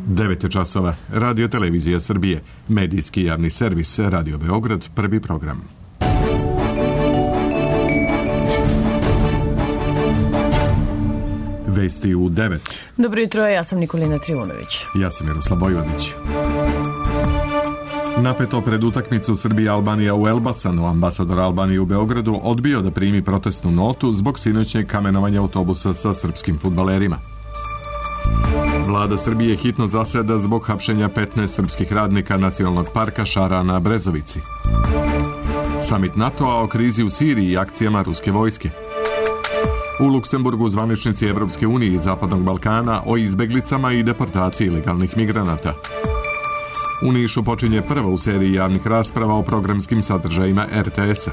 9 časova. Radio Televizija Srbije. Medijski javni servis. Radio Beograd. Prvi program. Vesti u 9. Dobro jutro, ja sam Nikolina Trivunović. Ja sam Miroslav Vojvodić. Napeto pred utakmicu Srbija-Albanija u Elbasanu, ambasador Albanije u Beogradu odbio da primi protestnu notu zbog sinoćnjeg kamenovanja autobusa sa srpskim fudbalerima. Vlada Srbije hitno zaseda zbog hapšenja 15 srpskih radnika Nacionalnog parka Šara na Brezovici. Samit NATO-a o krizi u Siriji i akcijama ruske vojske. U Luksemburgu zvaničnici Evropske unije i Zapadnog Balkana o izbeglicama i deportaciji ilegalnih migranata. U Nišu počinje prva u seriji javnih rasprava o programskim sadržajima RTS-a.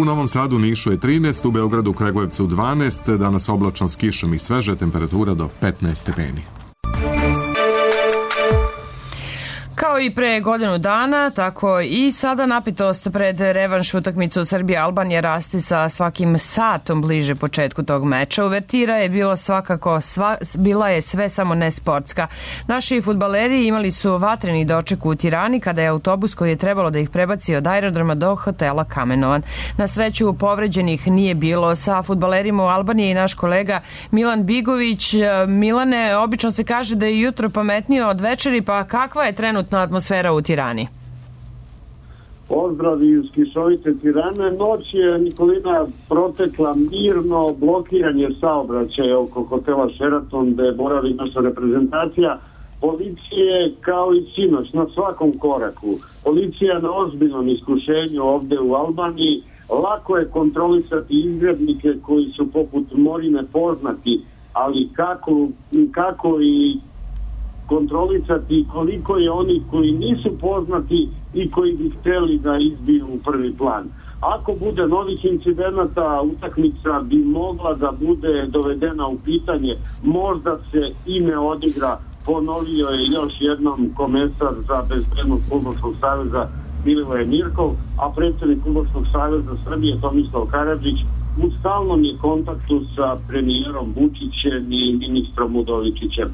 U Novom Sadu, Nišu je 13, u Beogradu, Kragujevcu 12, danas oblačno s kišom i sveže, temperatura do 15 stepeni. Kao i pre godinu dana, tako i sada napetost pred revanš utakmicu Srbije-Albanije rasti sa svakim satom bliže početku tog meča. Uvertira je bila je sve samo ne sportska. Naši fudbaleri imali su vatreni doček u Tirani kada je autobus koji je trebalo da ih prebaci od aerodroma do hotela kamenovan. Na sreću povređenih nije bilo. Sa fudbalerima u Albaniji i naš kolega Milan Bigović. Milane, obično se kaže da je jutro pametnije od večeri, pa kakva je trenutna atmosfera u Tirani? Pozdrav iz kišovite Tirane. Noć je, Nikolina, protekla mirno, blokiran je saobraćaj oko hotela Sheraton gde boravi naša reprezentacija. Policije kao i sinoć na svakom koraku. Policija na ozbiljnom iskušenju ovde u Albaniji. Lako je kontrolisati izgrednike koji su poput Morine poznati, ali kako i kontrolisati koliko je oni koji nisu poznati i koji bi hteli da izbiju u prvi plan. Ako bude novih incidenata, utakmica bi mogla da bude dovedena u pitanje. Možda se i ne odigra, ponovio je još jednom komesar za bezbednost Fudbalskog saveza Milivoje Mirkov, a predsjednik Fudbalskog saveza Srbije Tomislav Karadžić u stalnom je kontaktu sa premijerom Vučićem i ministrom Udovičićem.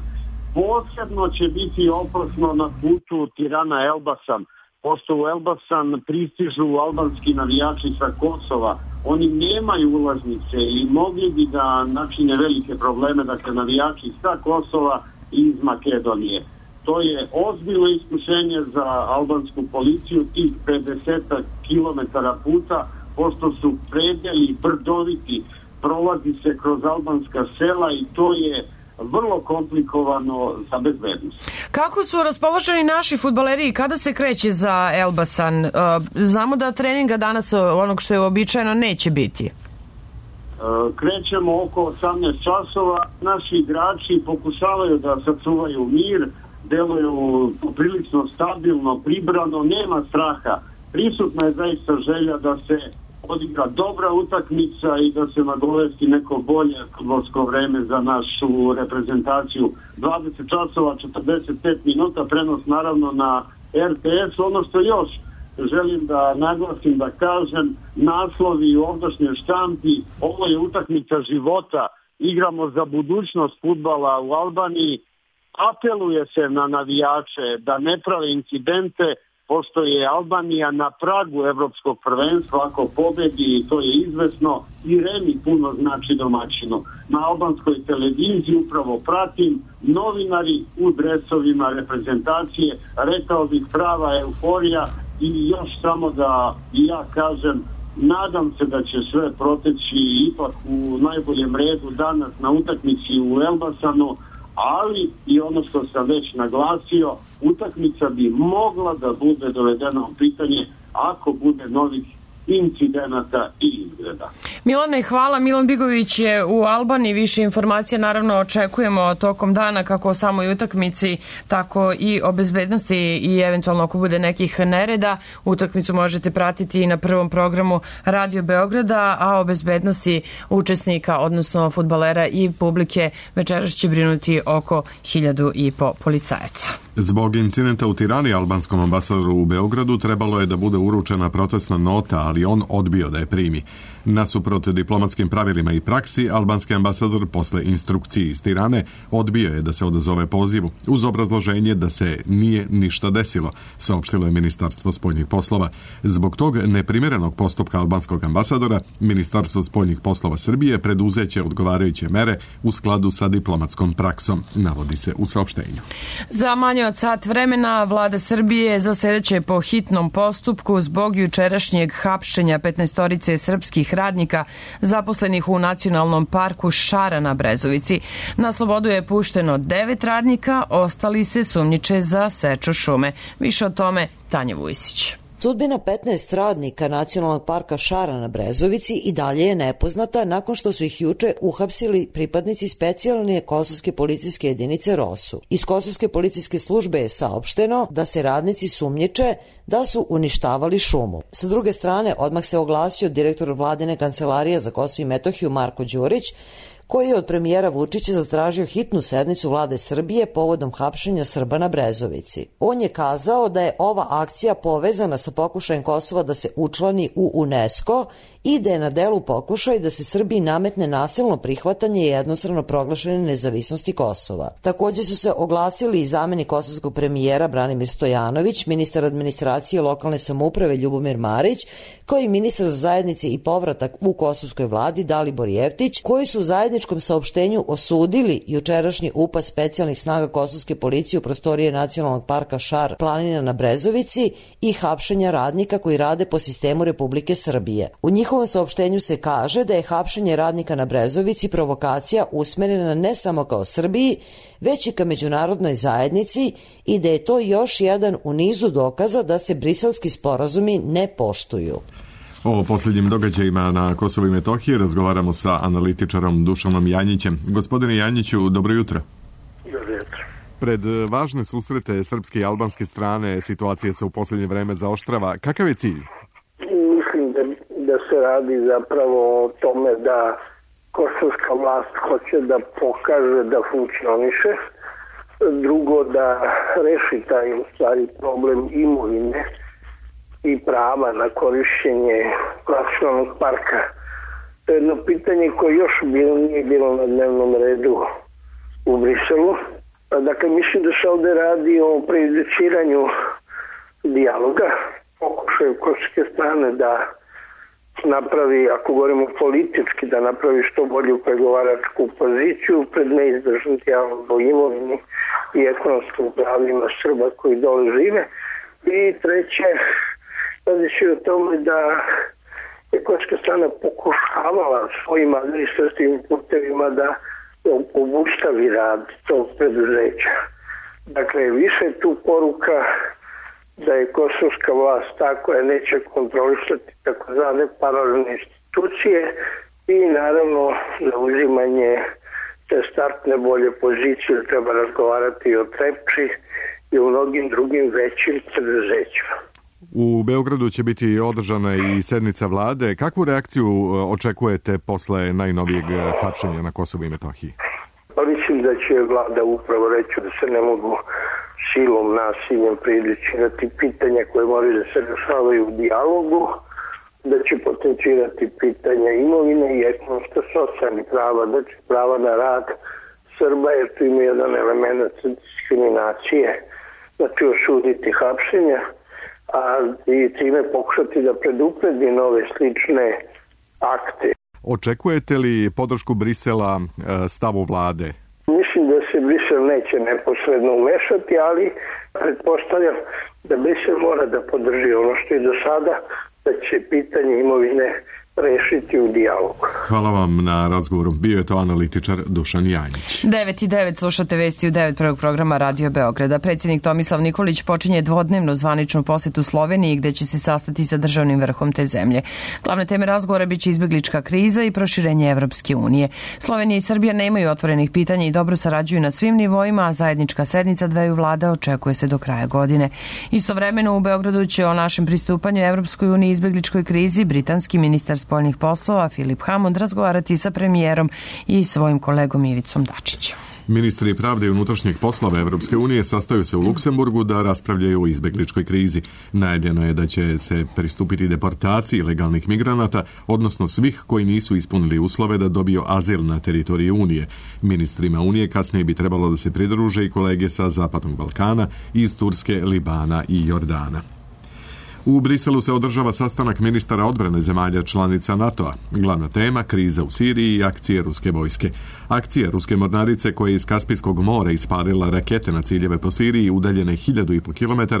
Posebno će biti opasno na putu Tirana-Elbasan, pošto u Elbasan pristižu albanski navijači sa Kosova. Oni nemaju ulaznice i mogli bi da načine velike probleme, dakle navijači sa Kosova i iz Makedonije. To je ozbiljno iskušenje za albansku policiju, tih 50 kilometara puta, pošto su predeli brdoviti, prolazi se kroz albanska sela i to je vrlo komplikovano za bezbednost. Kako su raspoloženi naši fudbaleri i kada se kreće za Elbasan? Znamo da treninga danas, onog što je uobičajeno, neće biti. Krećemo oko 18 časova. Naši igrači pokušavaju da sačuvaju mir, deluju prilično stabilno, pribrano, nema straha. Prisutna je zaista želja da se odigra dobra utakmica i da se nagovesti neko bolje fudbalsko vreme za našu reprezentaciju. 20 časova, 45 minuta, prenos naravno na RTS. Ono što još želim da naglasim, da kažem, naslovi u ovdašnjoj štampi, ovo je utakmica života, igramo za budućnost fudbala u Albaniji, apeluje se na navijače da ne prave incidente, pošto je Albanija na pragu evropskog prvenstva, ako pobedi, to je izvesno, i remi puno znači domaćinu. Na albanskoj televiziji upravo pratim, novinari u dresovima reprezentacije, rekao bih prava euforija, i još samo da i ja kažem, nadam se da će sve proteći ipak u najboljem redu danas na utakmici u Elbasanu, ali i ono što sam već naglasio, utakmica bi mogla da bude dovedena u pitanje ako bude novih incidenata i izgleda. Milane, hvala. Milan Bigović je u Albaniji. Više informacija naravno očekujemo tokom dana, kako o samoj utakmici, tako i o bezbednosti i eventualno ako bude nekih nereda. Utakmicu možete pratiti i na prvom programu Radio Beograda, a o bezbednosti učesnika, odnosno fudbalera i publike, večeras će brinuti oko 1.500 policajaca. Zbog incidenta u Tirani albanskom ambasadoru u Beogradu trebalo je da bude uručena protestna nota, ali on odbio da je primi. Nasuprot diplomatskim pravilima i praksi, albanski ambasador posle instrukcije iz Tirane odbio je da se odazove pozivu, uz obrazloženje da se nije ništa desilo, saopštilo je Ministarstvo spoljnih poslova. Zbog tog neprimjerenog postupka albanskog ambasadora, Ministarstvo spoljnih poslova Srbije preduzeće odgovarajuće mere u skladu sa diplomatskom praksom, navodi se u saopštenju. Za manje od sat vremena vlada Srbije zasedeće po hitnom postupku zbog jučerašnjeg hapšenja 15-torice srpskih radnika zaposlenih u Nacionalnom parku Šara na Brezovici. Na slobodu je pušteno 9 radnika, ostali se sumnjiče za seču šume. Više o tome Tanja Vujsić. Sudbina 15 radnika Nacionalnog parka Šara na Brezovici i dalje je nepoznata nakon što su ih juče uhapsili pripadnici specijalne kosovske policijske jedinice ROSU. Iz kosovske policijske službe je saopšteno da se radnici sumnjiče da su uništavali šumu. Sa druge strane, odmah se oglasio direktor vladine kancelarije za Kosovo i Metohiju Marko Đurić, koji je od premijera Vučića zatražio hitnu sednicu vlade Srbije povodom hapšenja Srba na Brezovici. On je kazao da je ova akcija povezana sa pokušajem Kosova da se učlani u UNESCO i da je na delu pokušaj da se Srbiji nametne nasilno prihvatanje i jednostrano proglašene nezavisnosti Kosova. Također su se oglasili i zamenik kosovskog premijera Branimir Stojanović, ministar administracije lokalne samouprave Ljubomir Marić, kao i ministar za zajednice i povratak u kosovskoj vladi Dalibor Jeftić, koji su u zajedničkom saopštenju osudili jučerašnji upad specijalnih snaga kosovske policije u prostorije Nacionalnog parka Šar planina na Brezovici i hapšenja radnika koji rade po sistemu Republike Srbije. U njihovom saopštenju se kaže da je hapšenje radnika na Brezovici provokacija usmerena ne samo kao Srbiji, već i ka međunarodnoj zajednici i da je to još jedan u nizu dokaza da se briselski sporazumi ne poštuju. O posljednjim događajima na Kosovu i Metohiji razgovaramo sa analitičarom Dušanom Janjićem. Gospodine Janjiću, dobro jutro. Dobro jutro. Pred važne susrete srpske i albanske strane situacija se u posljednje vreme zaoštrava. Kakav je cilj? Mislim da se radi zapravo o tome da kosovska vlast hoće da pokaže da funkcioniše. Drugo, da reši taj u stvari problem imovine i prava na korišćenje nacionalnog parka. To je jedno pitanje koje još nije bilo na dnevnom redu u Briselu. Dakle, mislim da se ovdje radi o prejudiciranju dijaloga, pokušaju kosovske strane da napravi, ako govorimo politički, da napravi što bolju pregovaračku poziciju pred neizdržan dijalog o imovini i ekonomskim pravima Srba koji dole žive. I treće, radi se o tome da je kosovska strana pokušavala svojim administrativnim putevima da obustavi rad tog preduzeća. Dakle, više je tu poruka da je kosovska vlast ta koja neće kontrolisati takozvane paralelne institucije i naravno za uzimanje te startne bolje pozicije treba razgovarati o Trepči i o mnogim drugim većim preduzećima. U Beogradu će biti održana i sednica vlade. Kakvu reakciju očekujete posle najnovijeg hapšenja na Kosovu i Metohiji? Pa mislim da će vlada upravo reći da se ne mogu silom, nasiljem prejudicirati pitanja koje moraju da se rešavaju u dijalogu, da će potencirati pitanja imovine i ekonomsko-socijalnih prava, da će prava na rad Srba, jer tu ima jedan element diskriminacije, znači osuditi hapšenja, a i time pokušati da predupredi nove slične akte. Očekujete li podršku Brisela stavu vlade? Mislim da se Brisel neće neposredno umešati, ali pretpostavljam da Brisel mora da podrži ono što je do sada, da će pitanje imovine rešiti u dijalogu. Hvala vam na razgovoru. Bio je to analitičar Dušan Janjić. 9:09 slušate vesti u 9 prvog programa Radio Beograda. Predsjednik Tomislav Nikolić počinje dvodnevnu zvaničnu posjetu Sloveniji gdje će se sastati sa državnim vrhom te zemlje. Glavne teme razgovora biće izbjeglička kriza i proširenje Evropske unije. Slovenija i Srbija nemaju otvorenih pitanja i dobro sarađuju na svim nivoima, a zajednička sednica dveju vlada očekuje se do kraja godine. Istovremeno u Beogradu će o našem pristupanju Evropskoj uniji i izbjegličkoj krizi britanski ministar spoljnih poslova Filip Hammond razgovarati sa premijerom i svojim kolegom Ivicom Dačićem. Ministri pravde i unutrašnjeg poslova Evropske unije sastaju se u Luksemburgu da raspravljaju o izbegličkoj krizi. Najavljeno je da će se pristupiti deportaciji legalnih migranata, odnosno svih koji nisu ispunili uslove da dobiju azil na teritoriji Unije. Ministrima Unije kasnije bi trebalo da se pridruže i kolege sa Zapadnog Balkana, iz Turske, Libana i Jordana. U Briselu se održava sastanak ministara odbrane zemalja članica NATO-a. Glavna tema – kriza u Siriji i akcije ruske vojske. Akcije ruske mornarice koja je iz Kaspijskog mora ispalila rakete na ciljeve po Siriji udaljene 1500 km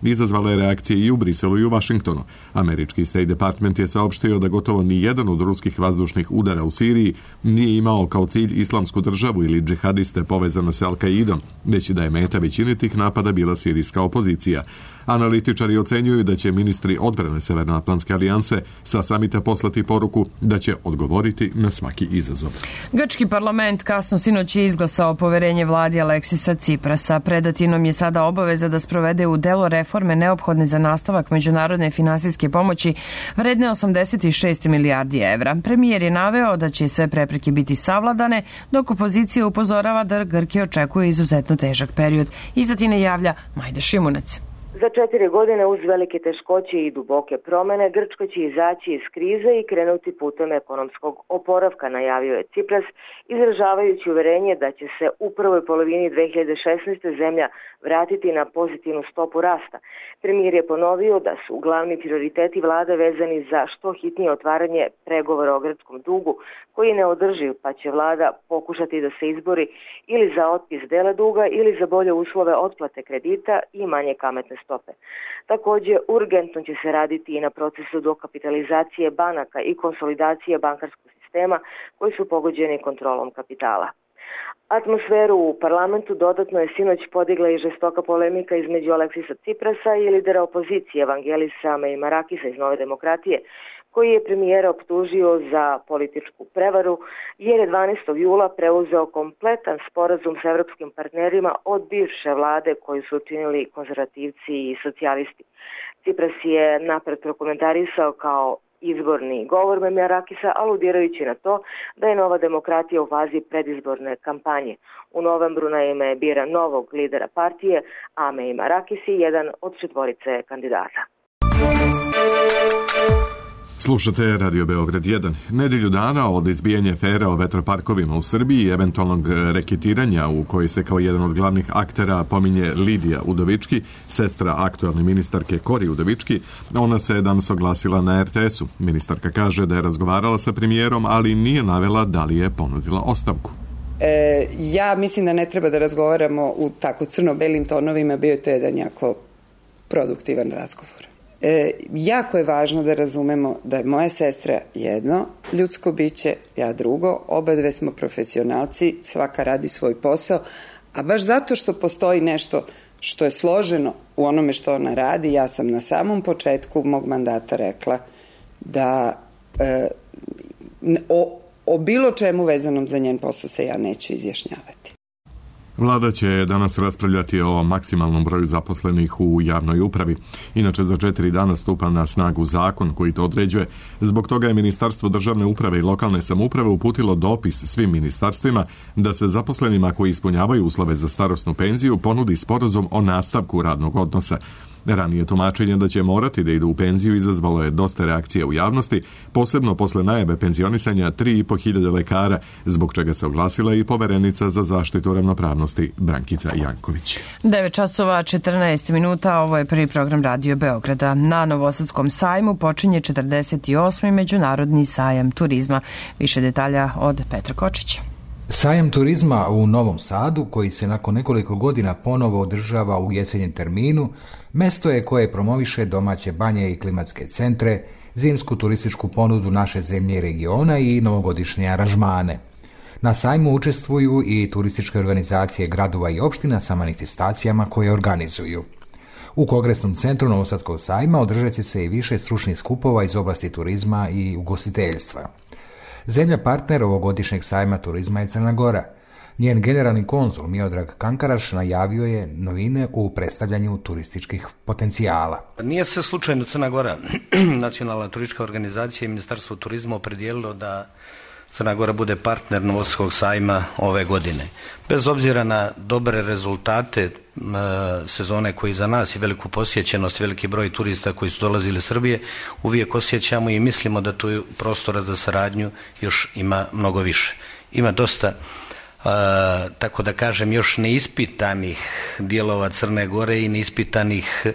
izazvala je reakcije i u Briselu i u Vašingtonu. Američki State Department je saopštio da gotovo ni jedan od ruskih vazdušnih udara u Siriji nije imao kao cilj islamsku državu ili džihadiste povezano sa Al-Qaidom, već da je meta većine tih napada bila sirijska opozicija. Analitičari ocenjuju da će ministri odbrane Severnoatlantske alijanse sa samita poslati poruku da će odgovoriti na svaki izazov. Grčki parlament kasno sinoć je izglasao poverenje vladi Aleksisa Ciprasa. Predatinom je sada obaveza da sprovede u delo reforme neophodne za nastavak međunarodne finansijske pomoći vredne 86 milijardi evra. Premijer je naveo da će sve prepreke biti savladane, dok opozicija upozorava da Grke očekuje izuzetno težak period. Iz Atine javlja Majda Šimunac. Za 4 godine uz velike teškoće i duboke promene, Grčka će izaći iz krize i krenuti putem ekonomskog oporavka, najavio je Cipras, izražavajući uverenje da će se u prvoj polovini 2016. zemlja vratiti na pozitivnu stopu rasta. Premijer je ponovio da su glavni prioriteti vlade vezani za što hitnije otvaranje pregovora o grčkom dugu, koji je neodrživ, pa će vlada pokušati da se izbori ili za otpis dela duga ili za bolje uslove otplate kredita i manje kamatne stope. Također, urgentno će se raditi i na procesu dokapitalizacije banaka i konsolidacije bankarskog sistema koji su pogođeni kontrolom kapitala. Atmosferu u parlamentu dodatno je sinoć podigla i žestoka polemika između Aleksisa Ciprasa i lidera opozicije Evangelisa Meimarakisa iz Nove demokratije, koji je premijera optužio za političku prevaru jer je 12. jula preuzeo kompletan sporazum sa evropskim partnerima od bivše vlade koju su učinili konzervativci i socijalisti. Cipras je napred prokomentarisao kao izborni govor Meimarakisa, aludirajući na to da je Nova demokratija u fazi predizborne kampanje. U novembru naime bira novog lidera partije, a Meimarakis je jedan od 4 kandidata. Slušate Radio Beograd 1. Nedelju dana od izbijanja afere o vetroparkovima u Srbiji i eventualnog reketiranja u kojoj se kao jedan od glavnih aktera pominje Lidija Udovički, sestra aktualne ministarke Kori Udovički, ona se danas oglasila na RTS-u. Ministarka kaže da je razgovarala sa premijerom, ali nije navela da li je ponudila ostavku. Ja mislim da ne treba da razgovaramo u tako crno-belim tonovima, bio je to jedan jako produktivan razgovor. Jako je važno da razumemo da je moja sestra jedno ljudsko biće, ja drugo, oba dve smo profesionalci, svaka radi svoj posao, a baš zato što postoji nešto što je složeno u onome što ona radi, ja sam na samom početku mog mandata rekla da o bilo čemu vezanom za njen posao se ja neću izjašnjavati. Vlada će danas raspravljati o maksimalnom broju zaposlenih u javnoj upravi. Inače, za 4 dana stupa na snagu zakon koji to određuje. Zbog toga je Ministarstvo državne uprave i lokalne samouprave uputilo dopis svim ministarstvima da se zaposlenima koji ispunjavaju uslove za starosnu penziju ponudi sporazum o nastavku radnog odnosa. Ranije tumačenje da će morati da idu u penziju izazvalo je dosta reakcija u javnosti, posebno posle najave penzionisanja 3.500 lekara, zbog čega se oglasila i poverenica za zaštitu ravnopravnosti Brankica Janković. 9:14, ovo je prvi program Radio Beograda. Na Novosadskom sajmu počinje 48. međunarodni sajam turizma. Više detalja od Petra Kočića. Sajam turizma u Novom Sadu, koji se nakon nekoliko godina ponovo održava u jesenjem terminu, mesto je koje promoviše domaće banje i klimatske centre, zimsku turističku ponudu naše zemlje i regiona i novogodišnje aranžmane. Na sajmu učestvuju i turističke organizacije gradova i opština sa manifestacijama koje organizuju. U Kongresnom centru Novosadskog sajma održat će se i više stručnih skupova iz oblasti turizma i ugostiteljstva. Zemlja partner ovogodišnjeg sajma turizma je Crna Gora. Njen generalni konzul Miodrag Kankaraš najavio je novine u predstavljanju turističkih potencijala. Nije se slučajno Crna Gora, nacionalna turistička organizacija i Ministarstvo turizma opredijelilo da Crna Gora bude partner Novosadskog sajma ove godine. Bez obzira na dobre rezultate sezone koji za nas i veliku posjećenost, veliki broj turista koji su dolazili iz Srbije, uvijek osjećamo i mislimo da tu prostora za saradnju još ima mnogo više. Ima dosta, tako da kažem, još neispitanih dijelova Crne Gore i neispitanih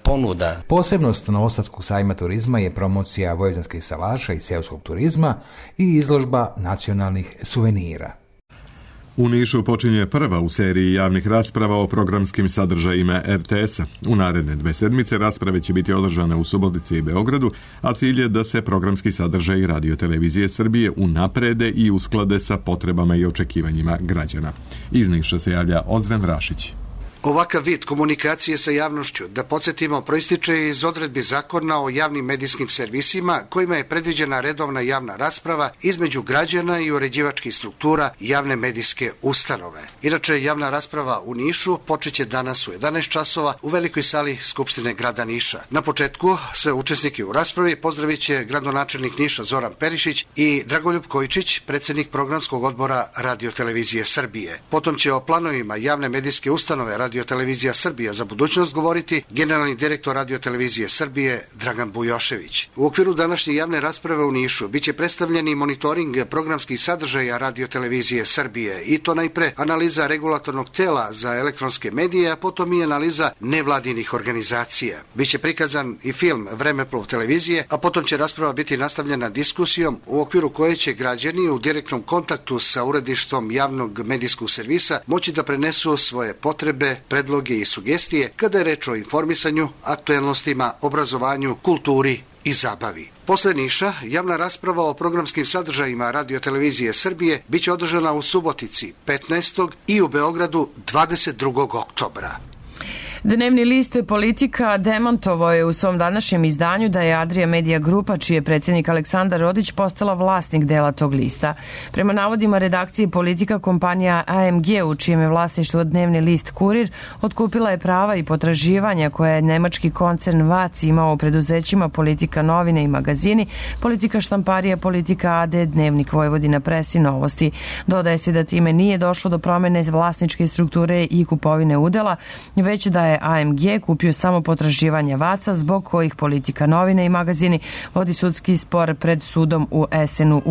ponuda. Posebnost Novosadskog sajma turizma je promocija vojvođanskih salaša i seoskog turizma i izložba nacionalnih suvenira. U Nišu počinje prva u seriji javnih rasprava o programskim sadržajima RTS-a. U naredne 2 sedmice rasprave će biti održane u Subotici i Beogradu, a cilj je da se programski sadržaji Radio-televizije Srbije unaprede i usklade sa potrebama i očekivanjima građana. Iz Niša se javlja Ozren Rašić. Ovakav vid komunikacije sa javnošću, da podsjetimo, proističe iz odredbi zakona o javnim medijskim servisima kojima je predviđena redovna javna rasprava između građana i uređivačkih struktura javne medijske ustanove. Inače, javna rasprava u Nišu počeće danas u 11 časova u velikoj sali Skupštine grada Niša. Na početku sve učesnike u raspravi pozdravit će gradonačelnik Niša Zoran Perišić i Dragoljub Kojičić, predsjednik programskog odbora Radio-televizije Srbije. Potom će o planovima javne medijske ustanove Radio-televizija Srbija za budućnost govoriti generalni direktor Radio-televizije Srbije Dragan Bujošević. U okviru današnje javne rasprave u Nišu biće predstavljeni monitoring programskih sadržaja Radio-televizije Srbije i to najpre analiza regulatornog tela za elektronske medije, a potom i analiza nevladinih organizacija. Biće prikazan i film Vremeplov televizije, a potom će rasprava biti nastavljena diskusijom u okviru koje će građani u direktnom kontaktu sa uredištom javnog medijskog servisa moći da prenesu svoje potrebe, predloge i sugestije kada je reč o informisanju, aktuelnostima, obrazovanju, kulturi i zabavi. Posle Niša, javna rasprava o programskim sadržajima Radio-televizije Srbije biće održana u Subotici 15. i u Beogradu 22. oktobra. Dnevni list Politika demantovao je u svom današnjem izdanju da je Adria Media Grupa, čiji je predsjednik Aleksandar Rodić, postala vlasnik dela tog lista. Prema navodima redakcije Politika, kompanija AMG, u čijem je vlasništvu dnevni list Kurir, otkupila je prava i potraživanja koje je nemački koncern VAC imao u preduzećima Politika novine i magazini, Politika štamparija, Politika AD, Dnevnik Vojvodina, Pres i Novosti. Dodaje se da time nije došlo do promene vlasničke strukture i kupovine udela, već da je AMG kupio samo potraživanja VAC-a, zbog kojih Politika novine i magazini vodi sudski spor pred sudom u Essenu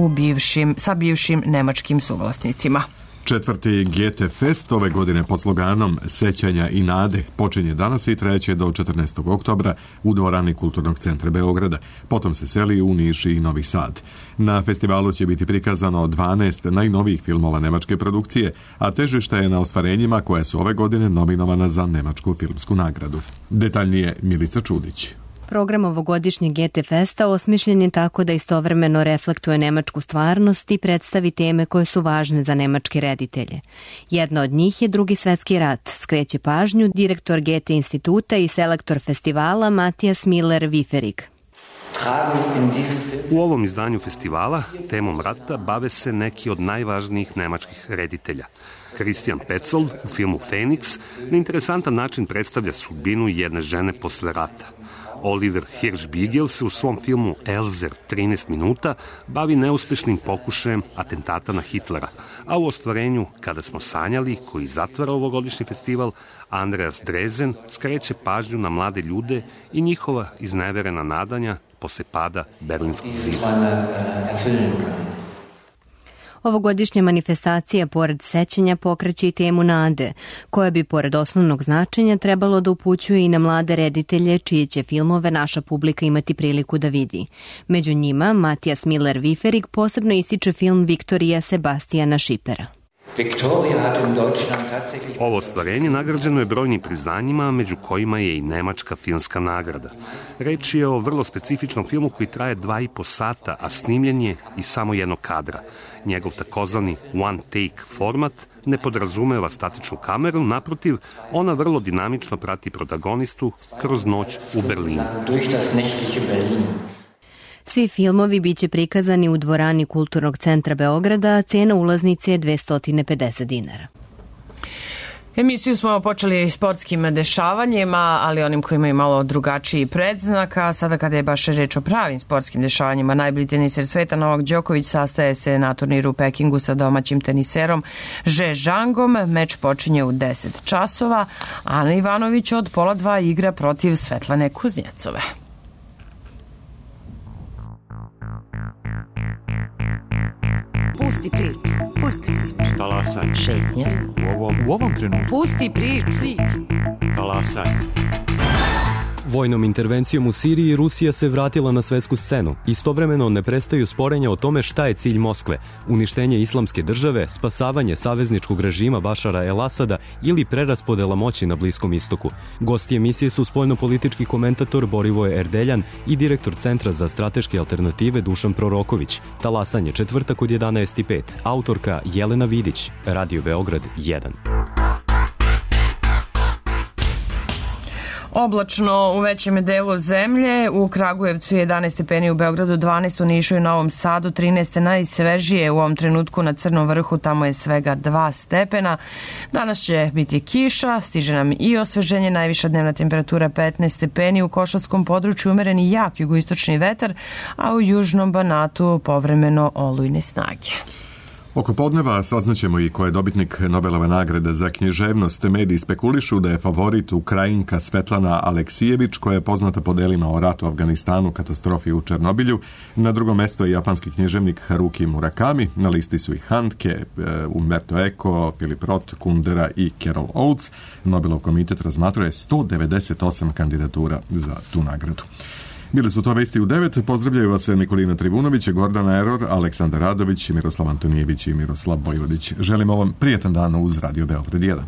sa bivšim nemačkim suvlasnicima. 4. GT Fest ove godine pod sloganom Sećanja i nade počinje danas i trajeće do 14. oktobra u dvorani Kulturnog centra Beograda. Potom se seli u Niš i Novi Sad. Na festivalu će biti prikazano 12 najnovijih filmova nemačke produkcije, a težište je na ostvarenjima koja su ove godine nominovana za Nemačku filmsku nagradu. Detaljnije Milica Čudić. Program ovogodišnjeg GT Festa osmišljen je tako da istovremeno reflektuje nemačku stvarnost i predstavi teme koje su važne za nemačke reditelje. Jedna od njih je Drugi svetski rat, skreće pažnju direktor GT instituta i selektor festivala Matijas Miller-Wieferig. U ovom izdanju festivala temom rata bave se neki od najvažnijih nemačkih reditelja. Christian Petzold u filmu Feniks na interesantan način predstavlja sudbinu jedne žene posle rata. Oliver Hirschbiegel se u svom filmu Elzer 13 minuta bavi neuspešnim pokušajem atentata na Hitlera, a u ostvarenju Kada smo sanjali, koji zatvara ovogodišnji festival, Andreas Drezen skreće pažnju na mlade ljude i njihova izneverena nadanja posle pada Berlinskog zida. Ovogodišnja manifestacija, pored sećanja, pokreće i temu nade, koja bi, pored osnovnog značenja, trebalo da upućuje i na mlade reditelje, čije će filmove naša publika imati priliku da vidi. Među njima, Matijas Miller-Wieferig posebno ističe film Viktorija Sebastijana Šipera. Ovo ostvarenje nagrađeno je brojnim priznanjima, među kojima je i Nemačka filmska nagrada. Reč je o vrlo specifičnom filmu koji traje 2,5 sata, a snimljen je iz samo jednog kadra. Njegov takozvani one take format ne podrazumeva statičnu kameru, naprotiv, ona vrlo dinamično prati protagonistu kroz noć u Berlinu. Svi filmovi biće prikazani u dvorani Kulturnog centra Beograda, a cena ulaznice je 250 dinara. Emisiju smo počeli sportskim dešavanjima, ali onim koji imaju malo drugačiji predznak, a sada kada je baš reč o pravim sportskim dešavanjima, najbolji teniser sveta Novak Đoković sastaje se na turniru u Pekingu sa domaćim teniserom Že Zhangom. Meč počinje u 10 časova. Ana Ivanović od 1:30 igra protiv Svetlane Kuznjecove. Pusti priču, pusti priču. Talasanje. Šetnje. U ovom trenutku. Pusti priču. Talasanje. Vojnom intervencijom u Siriji Rusija se vratila na svetsku scenu. Istovremeno ne prestaju sporenja o tome šta je cilj Moskve: uništenje islamske države, spasavanje savezničkog režima Bašara el-Asada ili preraspodela moći na Bliskom istoku. Gosti emisije su spoljnopolitički komentator Borivoje Erdeljan i direktor Centra za strateške alternative Dušan Proroković. Talasanje, četvrtak od 11:05. Autorka Jelena Vidić, Radio Beograd 1. Oblačno u većem delu zemlje, u Kragujevcu 11 stepeni, u Beogradu 12, u Nišu i Novom Sadu 13, najsvežije u ovom trenutku na Crnom vrhu, tamo je svega 2 stepena. Danas će biti kiša, stiže nam i osveženje, najviša dnevna temperatura 15 stepeni, u Košatskom području umereni jak jugoistočni vetar, a u južnom Banatu povremeno olujne snage. Oko podneva saznaćemo i ko je dobitnik Nobelove nagrade za književnost. Mediji spekulišu da je favorit Ukrajinka Svetlana Aleksijević, koja je poznata po delima o ratu u Afganistanu, katastrofi u Černobilju. Na drugom mestu je japanski književnik Haruki Murakami. Na listi su i Handke, Umberto Eco, Philip Roth, Kundera i Carol Oates. Nobelov komitet razmatruje 198 kandidatura za tu nagradu. Bili su to vesti u 9. Pozdravljaju vas Nikolina Trivunović, Gordana Eror, Aleksandar Radović, Miroslav Antonijević i Miroslav Vojvodić. Želimo vam prijetan dan uz Radio Beograd 1.